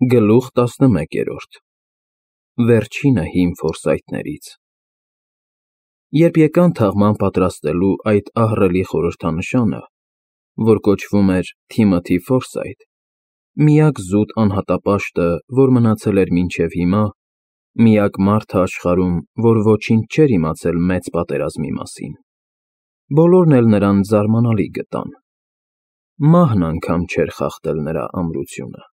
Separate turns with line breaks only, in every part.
Գլուխ 11 Վերջինը հին ֆորսայթներից Երբ եկան թաղման պատրաստելու այդ ահռելի խորհրդանշանը, որ կոչվում էր Թիմոթի Ֆորսայթ, միակ զուտ անհատապաշտը, որ մնացել էր մինչև հիմա, միակ մարդը աշխարհում, որ ոչինչ չէր իմացել Մեծ պատերազմի մասին, բոլորն էլ նրան զարմանալի գտան. մահն անգամ չէր խախտել նրա ամրությունը։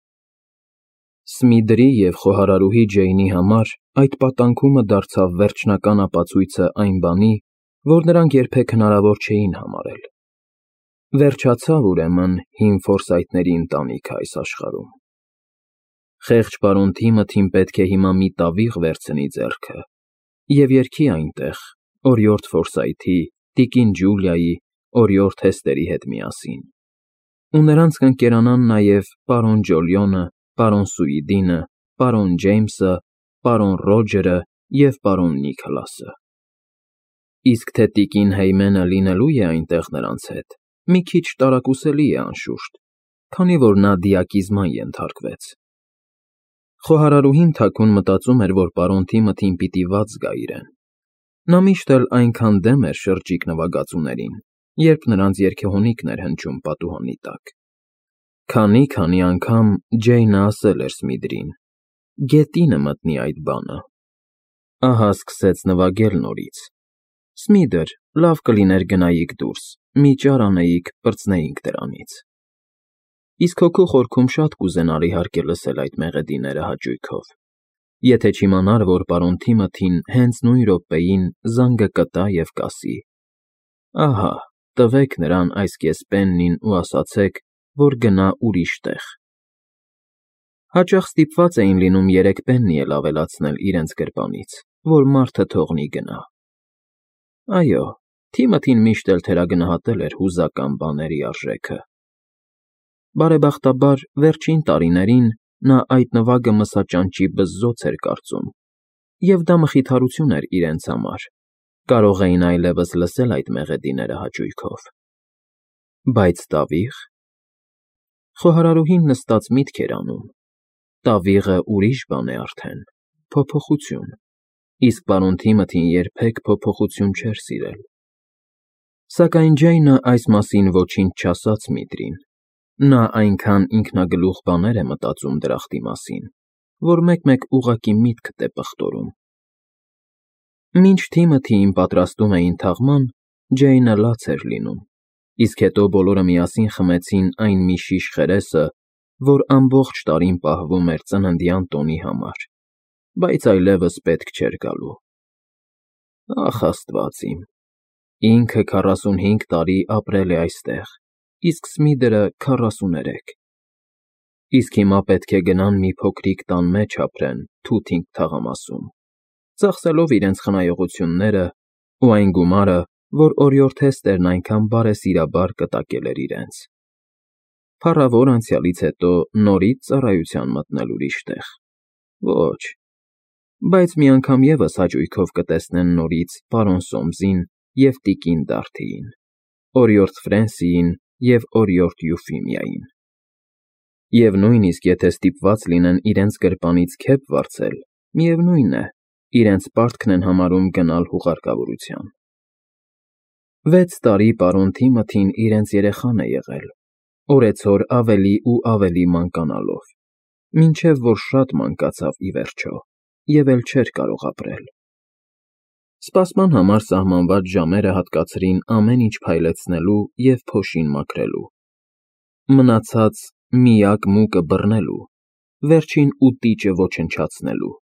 Սմիդրի և խոհարարուհի Ջեյնի համար այդ պատանքումը դարձավ վերջնական ապացույցը այն բանի, որ նրանք երբեք հնարավոր չէին համարել։ Վերջացավ ուրեմն հին Ֆորսայթների ընտանիքը այս աշխարհում։ Խեղճ պարոն Թիմոթին պետք է հիմա մի տավիղ վերցնի ձեռքը և երգի այնտեղ օրիորդ Ֆորսայթի, տիկին Ջուլիայի, օրիորդ Հեսթերի հետ միասին։ Ու նրանց կընկերանան նաև պարոն Ջոլիոնը, պարոն Սուիդինը, պարոն Ջեյմսը, պարոն Ռոջերը և պարոն Նիքոլասը։ Իսկ թե տիկին Հեյմենը լինելու է այնտեղ նրանց հետ, մի քիչ տարակուսելի է անշուշտ, քանի որ նա դիակիզման ենթարկվեց։ Խոհարարուհին թաքուն մտածում էր, որ պարոն Թիմոթին պիտի վատ զգա իրեն։ Նա միշտ էլ այնքան դեմ էր շրջիկ նվագածուներին, երբ նրանց երգեհոնիկն էր հնչում պատուհանի տակ։ Քանի անգամ Ջեյնը ասել էր Սմիդրին. «Գետինը մտնի այդ բանը»։ Ահա սկսեց նվագել նորից։ Սմիդր, լավ կլիներ գնայիք դուրս, մի ճար անեիք, պրծնեինք դրանից։ Իսկ հոգու խորքում շատ կուզենար իհարկե լսել այդ մեղեդիները հաճույքով, եթե չիմանար, որ պարոն Թիմոթին հենց նույն րոպեին զանգը կտա և կասի. «Ահա, տվեք նրան այս կեսպեննին ու ասացեք, որ գնա ուրիշ տեղ»։ Հաճախ ստիպված էին լինում 3 պեննի էլ ավելացնել իրենց գրպանից, որ մարդը թողնի գնա։ Այո, Թիմոթին միշտ էլ թերագնահատել էր հուզական բաների արժեքը։ Բարեբախտաբար, վերջին տարիներին նա այդ նվագը մսաճանճի բզզոց էր կարծում, և դա մխիթարություն էր իրենց համար, կարող էին այլևս լսել այդ մեղեդիները հաճույքով։ Բայց տավի՞ղ։ Խոհարարուհին նստած միտք էր անում. տավիղը ուրիշ բան է արդեն, փոփոխություն, իսկ պարոն Թիմոթին երբեք փոփոխություն չէր սիրել։ Սակայն Ջեյնը այս մասին ոչինչ չասաց Սմիդրին։ Նա այնքան ինքնագլուխ բաներ է մտածում դրախտի մասին, որ մեկ-մեկ ուղղակի միտքդ է պղտորում։ Մինչ Թիմոթիին պատրաստում էին թաղման, Ջեյնը լաց էր լինում, իսկ հետո բոլորը միասին խմեցին այն մի շիշ խերեսը, որ ամբողջ տարին պահվում էր ծննդյան տոնի համար, բայց այլևս պետք չէր գալու։ Ախ, Աստված իմ, ինքը 45 տարի ապրել է այստեղ, իսկ Սմիդրը 43։ Իսկ հիմա պետք է գնան մի փոքրիկ տան մեջ ապրեն թութինգ թաղամասում, ծախսելով իրենց խնայողությունները ու այն գումարը, որ օրիորդ Հեսթերն այնքան բարեսիրաբար կտակել էր իրենց։ Փառավոր անցյալից հետո նորից ծառայության մտնել ուրիշ տեղ։ Ոչ, բայց մի անգամ ևս հաճույքով կտեսնեն նորից պարոն Սոմսին և տիկին Դարթիին, օրիորդ Ֆրենսիին և օրիորդ Յուֆիմիային։ Եվ նույնիսկ եթե ստիպված լինեն իրենց գրպանից քեֆ վարձել, միևնույն է, իրենց պարտքն են համարում գնալ հուղարկավորության։ 6 տարի պարոն Թիմոթին իրենց երեխան է եղել, օրեցօր ավելի ու ավելի մանկանալով, մինչև որ շատ մանկացավ ի վերջո և էլ չէր կարող ապրել։ Սպասման համար սահմանված ժամերը հատկացրին ամեն ինչ փայլեցնելու և փոշին մաքրելու, մնացած միակ մուկը բռնելու, վերջին ուտիճը ոչնչացնելու,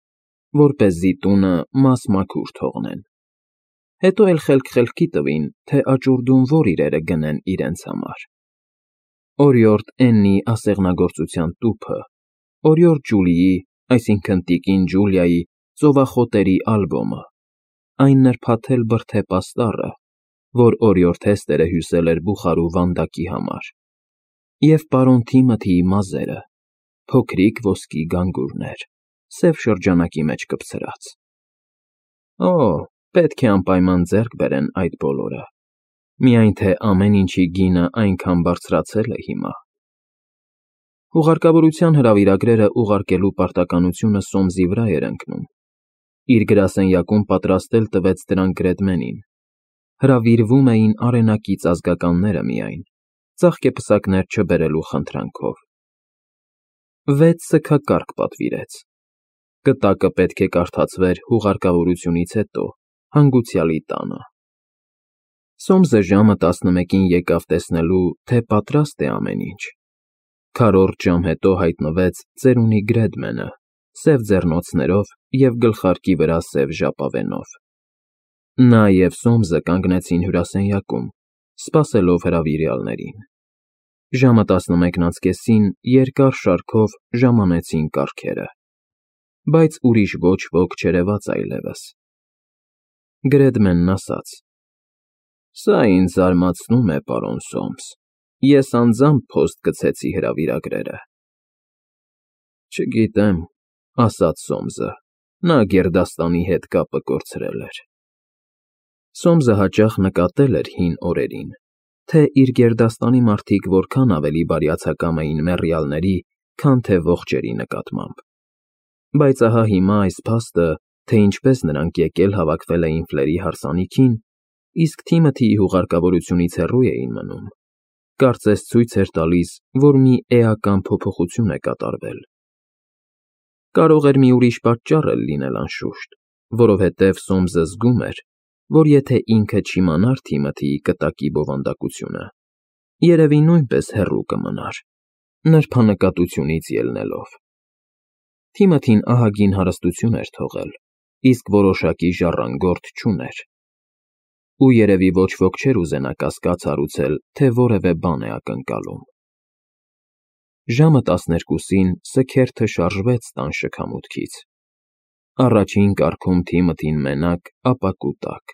որպեսզի տունը մաս-մաքուր թողնեն։ Հետո էլ խելք-խելքի տվին, թե աճուրդում որ իրերը գնեն իրենց համար. օրիորդ Էննի ասեղնագործության տուփը, օրիորդ Ջուլիի, այսինքն տիկին Ջուլիայի ծովախոտերի ալբոմը, այն նրբաթել բրդե պաստառը, որ օրիորդ Հեսթերը հյուսել էր Բուխարու վանդակի համար, և պարոն Թիմոթիի մազերը, փոքրիկ ոսկի գանգուրներ, սև շրջանակի մեջ կպցրած։ Օ, պետք է անպայման ձեռք բերեն այդ բոլորը, միայն թե ամեն ինչի գինը այնքան բարձրացել է հիմա։ Հուղարկավորության հրավիրագրերը ուղարկելու պարտականությունը Սոմսի վրա էր ընկնում։ Իր գրասենյակում պատրաստել տվեց դրանք Գրեդմենին։ Հրավիրվում էին արենակից ազգականները միայն, ծաղկեպսակներ չբերելու խնդրանքով։ 6 սգակարկ պատվիրեց։ Կտակը պետք է կարդացվեր հուղարկավորությունից հետո, հանգուցյալի տանը։ Սոմսը ժամը 11-ին եկավ տեսնելու, թե պատրաստ է ամեն ինչ։ Քառորդ ժամ հետո հայտնվեց ծերունի Գրեդմենը, սև ձեռնոցներով և գլխարկի վրա սև ժապավենով։ Նա և Սոմսը կանգնեցին հյուրասենյակում, սպասելով հրավիրյալներին։ Ժամը 11:30-ին երկար շարքով ժամանեցին կառքերը, բայց ուրիշ ոչ ոք չերևաց այլևս։ Գրեդմենն ասաց. «Սա ինձ զարմացնում է, պարոն Սոմս, ես անձամբ փոստ գցեցի հրավիրագրերը»։ «Չգիտեմ», ասաց Սոմսը, նա գերդաստանի հետ կապը կորցրել էր։ Սոմսը հաճախ նկատել էր հին օրերին, թե իր գերդաստանի մարդիկ որքան ավելի բարյացակամ էին մեռյալների, քան թե ողջերի նկատմամբ։ Բայց ահա հիմա այս փաստը, թե ինչպես նրանք եկել հավաքվել էին Ֆլերի հարսանիքին, իսկ Թիմոթիի հուղարկավորությունից հեռու էին մնում, կարծես ցույց էր տալիս, որ մի էական փոփոխություն է կատարվել։ Կարող էր մի ուրիշ պատճառ էլ լինել անշուշտ, որովհետև Սոմսը զգում էր, որ եթե ինքը չիմանար Թիմոթիի կտակի բովանդակությունը, երևի նույնպես հեռու կմնար, նրբանկատությունից ելնելով։ Թիմոթին ահագին հարստություն էր թողել, իսկ որոշակի ժառանգորդ չուներ։ Ու երևի ոչ ոք չէր ուզենա կասկած հարուցել, թե որևէ բան է ակնկալում։ Ժամը 12-ին սգերթը շարժվեց տան շքամուտքից։ Առաջին կառքում Թիմոթին մենակ, ապա կուտակ,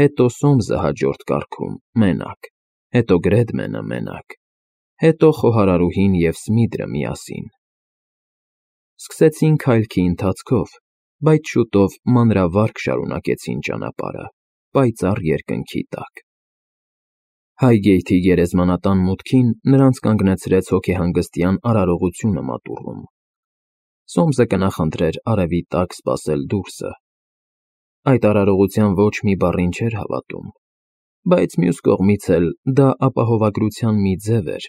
հետո Սոմսը հաջորդ կառքում մենակ, հետո Գրեդմենը մենակ, հետո խոհարարուհին և Սմիդրը միասին։ Սկսեցին քայլքի ընթացքով, բայց շուտով մանրավարգ շարունակեցին ճանապարհը, պայծառ երկնքի տակ։ Հայգեյթի գերեզմանատան մուտքին նրանց կանգնեցրեց հոգեհանգստյան արարողությունը մատուռում։ Սոմսը կնախընտրեր արևի տակ սպասել դուրսը։ Այդ արարողության ոչ մի բառին չէր հավատում, բայց մյուս կողմից էլ դա ապահովագրության մի ձև էր,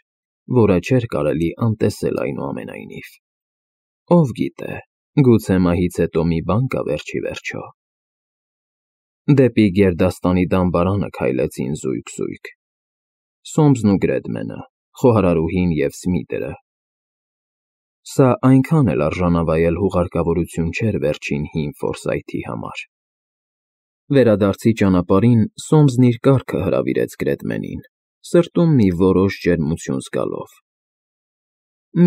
որը չէր կարելի անտեսել այնուամենայնիվ։ Ով գիտե, գուցե մահից հետո մի բան կա վերջ ի վերջո։ Դեպի գերդաստանի դամբարանը քայլեցին զույգ։ Սոմսն ու Գրեդմենը, խոհարարուհին և Սմիդրը։ Սա այնքան էլ արժանավայել հուղարկավորություն չէր վերջին հին Ֆորսայթի համար։ Վերադարձի ճանապարհին Սոմսն իր կառքը հրավիրեց Գրեդմենին, սրտում մի որոշ ջերմություն զգալով։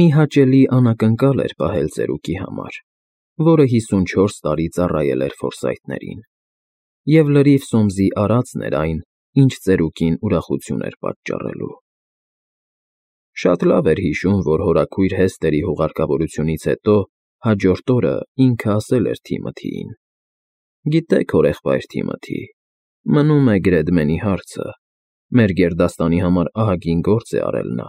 Մի հաճելի անակնկալ էր պահել ծերուկի համար, որը 54 տարի ծառայել էր Ֆորսայթներին, և լրիվ Սոմսի արածն էր այն, ինչ ծերուկին ուրախություն էր պատճառելու։ Շատ լավ էր հիշում, որ հորաքույր Հեսթերի հուղարկավորությունից հետո հաջորդ օրը ինքը ասել էր Թիմոթիին. «Գիտեք, հորեղբայր Թիմոթի, մնում է Գրեդմենի հարցը, մեր գերդաստանի համար ահագին գործ է արել նա։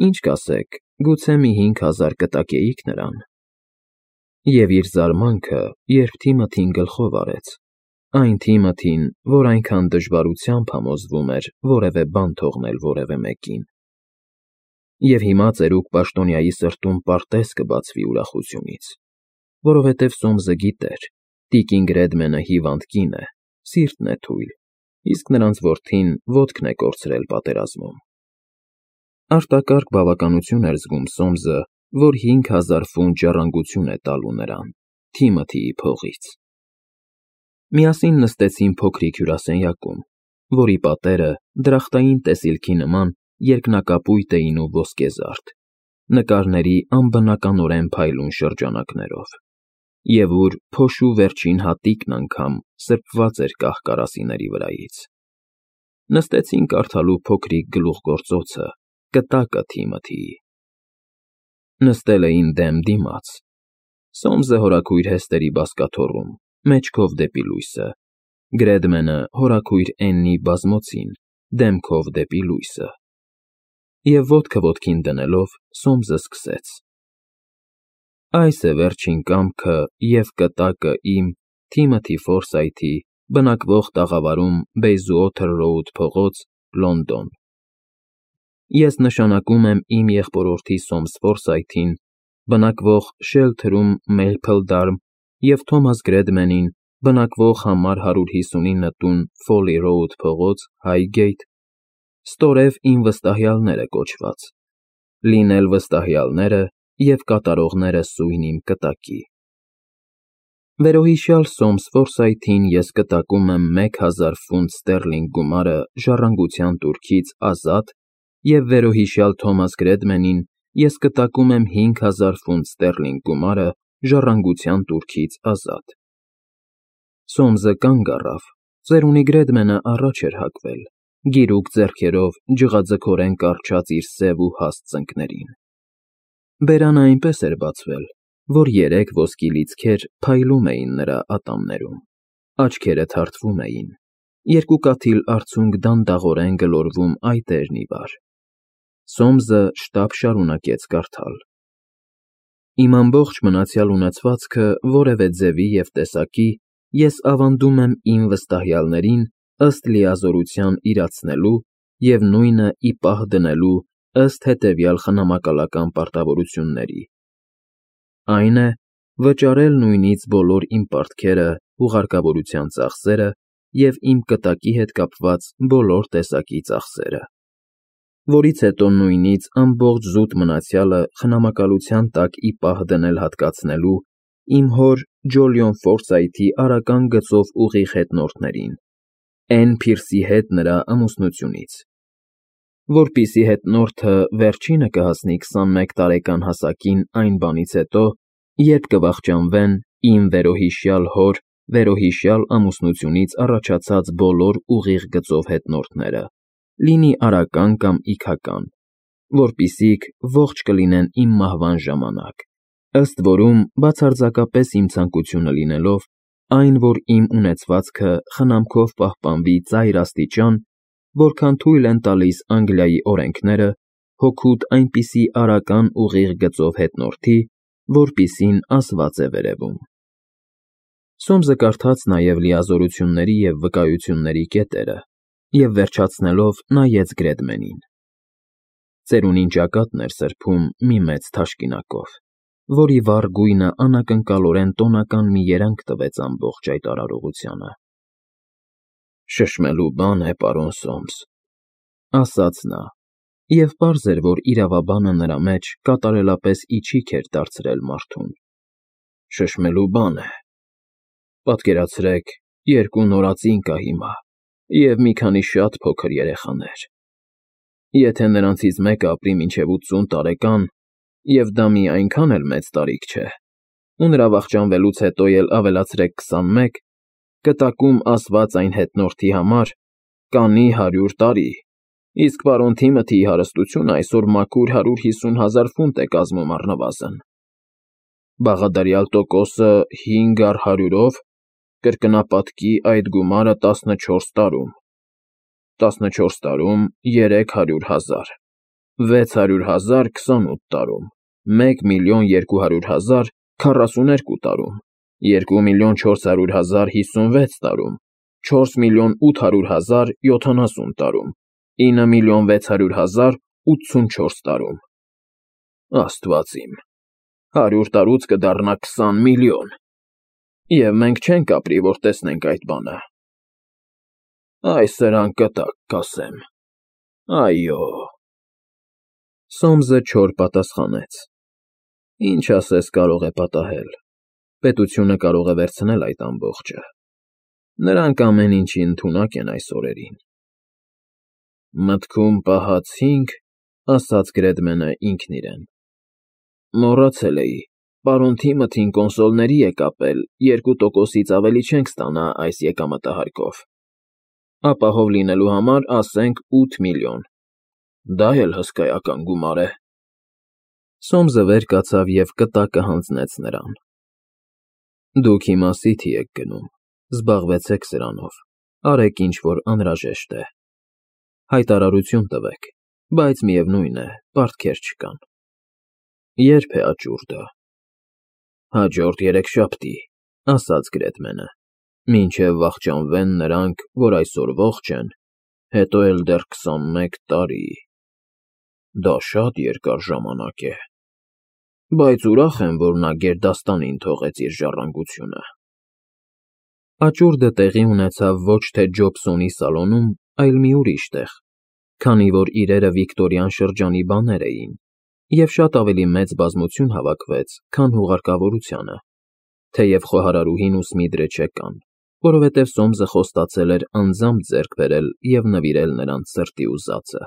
Ինչ կասեք, գուցե մի 5000 կտակեիք նրան»։ Եվ իր զարմանքը, երբ Թիմոթին գլխով արեց, այն Թիմոթին, որ այնքան դժվարությամբ համոզվում էր որևէ բան թողնել որևէ մեկին։ Եվ հիմա ծերուկ պաշտոնյայի սրտում պարտեզ կբացվի ուրախությունից, որովհետև Սոմսը գիտեր, տիկին Գրեդմենը հիվանդ կին է, սիրտն է թույլ, իսկ նրանց որդին ոտքն է կորցրել պատերազմում։ Արտակարգ բավականություն էր զգում Սոմսը, որ 5000 ֆունտ ժառանգություն է տալու նրան, Թիմոթիի փողից։ Միասին նստեցին փոքրիկ հյուրասենյակում, որի պատերը դրախտային տեսիլքի նման երկնակապույտ էին ու ոսկեզարդ, նկարների անբնականորեն փայլուն շրջանակներով, և ուր փոշու վերջին հատիկն անգամ սրբված էր կահ֊կարասիների վրայից։ Նստեցին կարդալու փոքրիկ գլուխգործոցը, կտակը Թիմոթիի։ Նստել էին դեմ դիմաց։ Սոմսը հորաքույր Հեսթերի բազկաթոռում, մեջքով դեպի լույսը, Գրեդմենը հորաքույր Էննի բազմոցին, դեմքով դեպի լույսը։ և ոտքը ոտքին դնելով Սոմսը սկսեց. Այս է վերջին կամքը և կտակը իմ Թիմոթի Ֆորսայթի բնակվող տաղավարում Բեյզուոթեր Ռոուդ փողոց, Լոնդոն։ Ես նշանակում եմ իմ եղբորորդի Սոմս Ֆորսայթին, բնակվող Շելթրում, Մեյփլդարմ, և Թոմաս Գրեդմենին, բնակվող համար 159 տուն, Ֆոլի Ռոուդ փողոց, Հայգեյթ, ստորև իմ վստահյալները կոչված, լինել վստահյալները և կատարողները սույն իմ կտակի։ Վերոհիշյալ Սոմս Ֆորսայթին ես կտակում եմ 1000 ֆունտ ստերլինգ գումարը ժառանգության տուրքից ազատ և վերոհիշյալ Թոմաս Գրեդմենին ես կտակում եմ 5000 ֆունտ ստերլինգ գումարը ժառանգության տուրքից ազատ։ Սոմսը կանգ առավ, ծերունի Գրեդմենը առաջ էր հագվել, գիրուկ ձեռքերով ջղաձգորեն կառչած իր սև ու հաստ ծնկներին։ Բերանը այնպես էր բացվել, որ 3 ոսկի լիցքեր փայլում էին նրա ատամներում, աչքերը թարթվում էին, երկուկաթիլ արցունք դանդաղորեն գլորվում այտերն ի վար։ Սոմսը շտապ շարունակեց կարդալ. Իմ ամբողջ մնացյալ ունեցվածքը որևէ ձևի և տեսակի ես ավանդում եմ իմ վստահյալներին ըստ լիազորության իրացնելու և նույնը ի պահ դնելու ըստ հետևյալ խնամակալական պարտավորությունների. Այն է, վճարել նույնից բոլոր իմ պարտքերը, հուղարկավորության ծախսերը և իմ կտակի հետ կապված բոլոր տեսակի ծախսերը, որից հետո նույնից ամբողջ զուտ մնացյալը խնամակալության տակ ի պահ դնել հատկացնելու իմ հոր Ջոլիոն Ֆորսայթի արական գծով ուղիղ հետնորդներին, Էն Փիրսի հետ նրա ամուսնությունից, որպեսզի հետնորդը վերջինը կհասնի 21 տարեկան հասակին այն բանից հետո, երբ կվախճանվեն իմ վերոհիշյալ հոր վերոհիշյալ ամուսնությունից առաջացած բոլոր ուղիղ գծով հետնորդները, լինի արական կամ իգական, որպեսզիք ողջ կլինեն իմ մահվան ժամանակ, ըստ որում բացարձակապես իմ ցանկությունը լինելով, այն, որ իմ ունեցվածքը խնամքով պահպանվի ծայր աստիճան, որքան թույլ են տալիս Անգլիայի օրենքները, հօգուտ այնպիսի արական ուղիղ գծով հետնորդի, որպիսին ասված է վերևում։ Սոմսը կարդաց նաև լիազորությունների և վկայությունների կետերը և վերջացնելով նայեց Գրեդմենին։ Ծերունին ճակատն էր սրբում մի մեծ թաշկինակով, որի վառ գույնը անակնկալորեն տոնական մի երանգ տվեց ամբողջ այդ արարողությանը։ Շշմելու բան է, պարոն Սոմս, ասաց նա, և պարզ էր, որ իրավաբանը նրա մեջ կատարելապես իչիք էր դարձրել մարդուն։ Շշմելու բան է։ Պատկերացրեք, 2 նորածին կա հիմա և մի քանի շատ փոքր երեխաներ։ Եթե նրանցից մեկը ապրի մինչև 80 տարեկան, և դա մի այնքան էլ մեծ տարիք չէ, ու նրա վախճանվելուց հետո էլ ավելացրեք 21, կտակում ասված այն հետնորդի համար կանի 100 տարի, իսկ պարոն Թիմոթիի հարստությունը այսօր մաքուր 150,000 ֆունտ է կազմում առնվազն։ Բաղադարյալ տոկոսը 5 առ 100-ով կրկնապատկի այդ գումարը 14 տարում, 14 տարում 300,000, 600,000 28 տարում, 1,200,000 42 տարում, 2,400,000 56 տարում, 4,800,000 70 տարում, 9,600,000 84 տարում։ Աստված իմ, 100 տարուց կդառնա 20 միլիոն, և մենք չենք ապրի, որ տեսնենք այդ բանը։ Այ սրան կտակ կասեմ, այո։ Սոմսը չոր պատասխանեց։ Ինչ ասես կարող է պատահել, պետությունը կարող է վերցնել այդ ամբողջը։ Նրանք ամեն ինչի ընդունակ են այս օրերին։ Մտքում պահած 5, ասաց Գրեդմենը ինքն իրեն։ Մոռացել էի, պարոն Թիմոթին կոնսոլների է կապել, 2%-ից ավելի չենք ստանա այս եկամտահարկով։ Ապահով լինելու համար ասենք 8 միլիոն։ Դա էլ հսկայական գումար է։ Սոմսը վեր կացավ և կտակը հանձնեց նրան։ Դուք հիմա Սիթի եք գնում, զբաղվեցեք սրանով, արեք ինչ որ անհրաժեշտ է։ Հայտարարություն տվեք, բայց միևնույն է, պարտքեր չկան։ Ե՞րբ է աճուրդը։ Հաջորդ երեքշաբթի, ասաց Գրեթմենը, մինչև վախճանվեն նրանք, որ այսօր ողջ են, հետո էլ դեռ 21 տարի։ Դա շատ երկար ժամանակ է, բայց ուրախ եմ, որ նա գերդաստանին թողեց իր ժառանգությունը։ Աճուրդը տեղի ունեցավ ոչ թե Ջոբսոնի սալոնում, այլ մի ուրիշ տեղ, քանի որ իրերը Վիկտորյան շրջանի բաներ էին, և շատ ավելի մեծ բազմություն հավաքվեց, քան հուղարկավորությանը, թեև խոհարարուհին ու Սմիդրը չեկան, որովհետև Սոմսը խոստացել էր անձամբ ձեռք բերել և նվիրել նրանց սրտի ուզածը։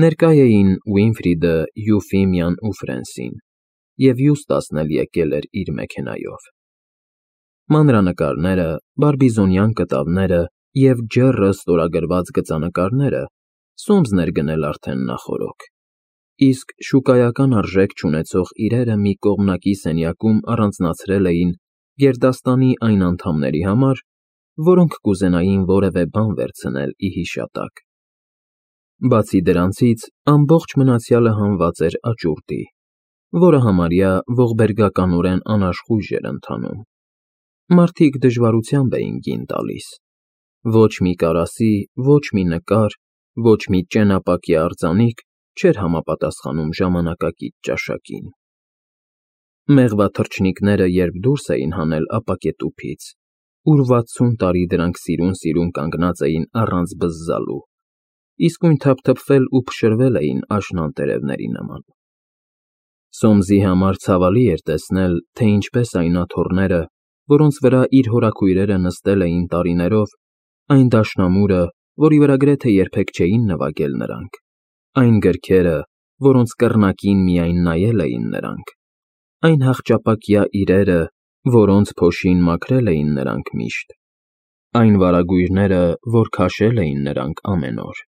Ներկա էին Ուինֆրիդը, Յուֆիմիան ու Ֆրենսին, և Յուստասն էլ եկել էր իր մեքենայով։ Մանրանկարները, բարբիզոնյան կտավները և ջեռը ստորագրված գծանկարները Սոմսն էր գնել արդեն նախօրոք, իսկ շուկայական արժեք չունեցող իրերը մի կողմնակի սենյակում առանձնացրել էին գերդաստանի այն անդամների համար, որոնք կուզենային որևէ բան վերցնել ի հիշատակ։ Բացի դրանցից, ամբողջ մնացյալը հանված էր աճուրդի, որը համարյա ողբերգականորեն անաշխույժ էր ընթանում։ Մարդիկ դժվարությամբ էին գին տալիս։ Ոչ մի կարասի, ոչ մի նկար, ոչ մի ճենապակյա արձանիկ չէր համապատասխանում ժամանակակից ճաշակին։ Մեղվաթռչնիկները երբ դուրս էին հանել ապակետուփից, ուր 60 տարի դրանք սիրուն կանգնած էին առանց բզզալու, իսկույն թափթփվել ու փշրվել էին աշնան տերևների նման։ Սոմսի համար ցավալի էր տեսնել, թե ինչպես այն աթոռները, որոնց վրա իր հորաքույրերը նստել էին տարիներով, այն դաշնամուրը, որի վրա գրեթե երբեք չէին նվագել նրանք, այն գրքերը, որոնց կռնակին միայն նայել էին նրանք, այն հախճապակյա իրերը, որոնց փոշին մաքրել էին նրանք միշտ, այն վարագույրները, որ քաշել էին նրանք ամեն օր,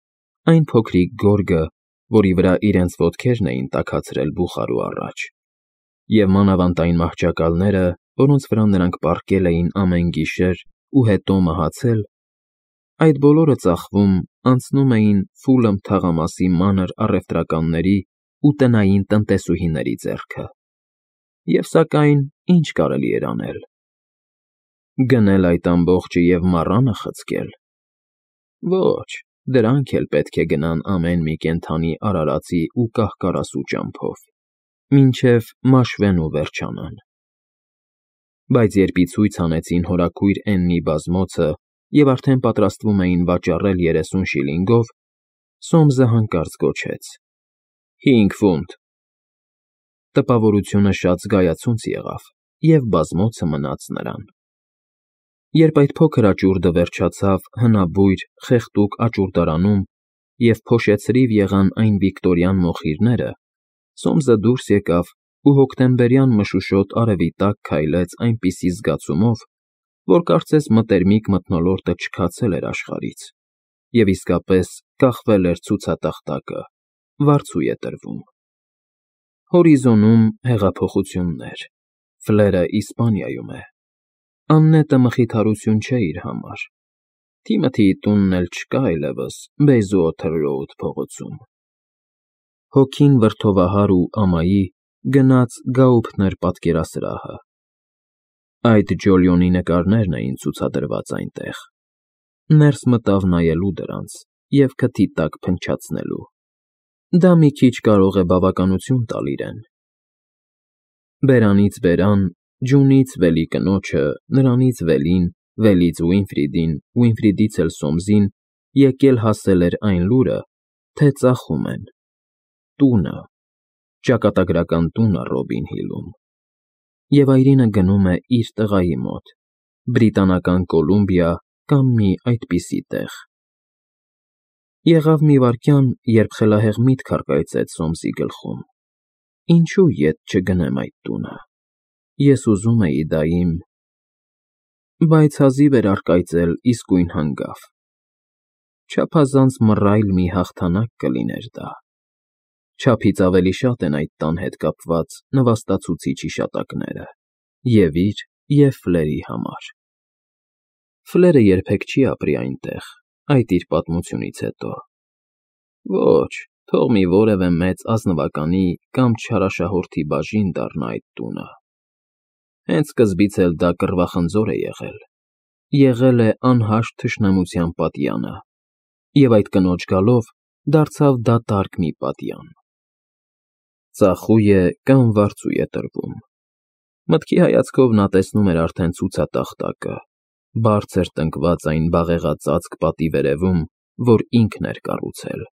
այն փոքրիկ գորգը, որի վրա իրենց ոտքերն էին տաքացրել բուխարու առաջ, և մանավանդ այն մահճակալները, որոնց վրա նրանք պառկել էին ամեն գիշեր ու հետո մահացել, այդ բոլորը ծախվում, անցնում էին Ֆուլըմ թաղամասի մանր առևտրականների ու տնային տնտեսուհիների ձեռքը։ Եվ սակայն, ինչ կարելի էր անել։ Գնել այդ ամբողջը և մառանը խցկել։ Ոչ, դրանք էլ պետք է գնան ամեն մի կենդանի արարածի ու կահ֊կարասու ճամփով, մինչև մաշվեն ու վերջանան։ Բայց երբ ի ցույց հանեցին հորաքույր Էննի բազմոցը և արդեն պատրաստվում էին վաճառել 30 շիլինգով, Սոմսը հանկարծ գոչեց. 5 ֆունտ։ Տպավորությունը շատ զգայացունց եղավ, և բազմոցը մնաց նրան։ Երբ այդ փոքր աճուրդը վերջացավ հնաբույր, խեղդուկ աճուրդարանում և փոշեցրիվ եղան այն վիկտորյան մոխիրները, Սոմսը դուրս եկավ ու հոկտեմբերյան մշուշոտ արևի տակ քայլեց այնպիսի զգացումով, որ կարծես մտերմիկ մթնոլորտը չքացել էր աշխարհից, և իսկապես կախվել էր ցուցատախտակը, վարձու է տրվում։ Հորիզոնում հեղափոխություններ, Ֆլերը Իսպանիայում է, Աննետը մխիթարություն չէ իր համար, Թիմոթիի տունն էլ չկա այլևս Բեյզուոթեր Ռոուդ փողոցում։ Հոգին վրդովահար ու ամայի գնաց Գաուփթներ պատկերասրահը։ Այդ Ջոլիոնի նկարներն էին ցուցադրված այնտեղ։ Ներս մտավ նայելու դրանց և քթի տակ փնչացնելու։ Դա մի քիչ կարող է բավականություն տալ իրեն։ Բերանից բերան, ջունից վելի կնոջը, նրանից վելին, վելից Ուինֆրիդին, Ուինֆրիդից էլ Սոմսին եկել֊հասել էր այն լուրը, թե ծախում են։ Տունը, ճակատագրական տունը Ռոբին Հիլում։ Եվ այրինը գնում է իր տղայի մոտ, Բրիտանական Կոլումբիա կամ մի այդպիսի տեղ։ Եղավ մի վայրկյան, երբ խելահեղ միտք առկայծեց Սոմսի գլխում. ինչու ետ չգնեմ այդ տունը։ Ես ուզում էի դա իմ… Բայց հազիվ էր առկայծել իսկույն հանգավ. չափազանց մռայլ մի հաղթանակ կլիներ դա։ Չափից ավելի շատ են այդ տան հետ կապված նվաստացուցիչ հիշատակները և՛ իր, և՛ Ֆլերի համար։ Ֆլերը երբեք չի ապրի այնտեղ, այդ իր պատմությունից հետո։ Ոչ, թող մի որևէ մեծ ազնվականի կամ չարաշահորդի բաժին դառնա այդ տունը։ Հենց սկզբից էլ դա կռվախնձոր է եղել, եղել է անհաշտ թշնամության պատյանը, և այդ կնոջ գալով դարձավ դատարկ մի պատյան։ Ծախույ է կամ վարձույ է տրվում։ Մտքի հայացքով նա տեսնում էր արդեն ցուցատախտակը, բարձր տնկված այն բաղեղածածկ պատի վերևում, որ ինքն էր կառուցել։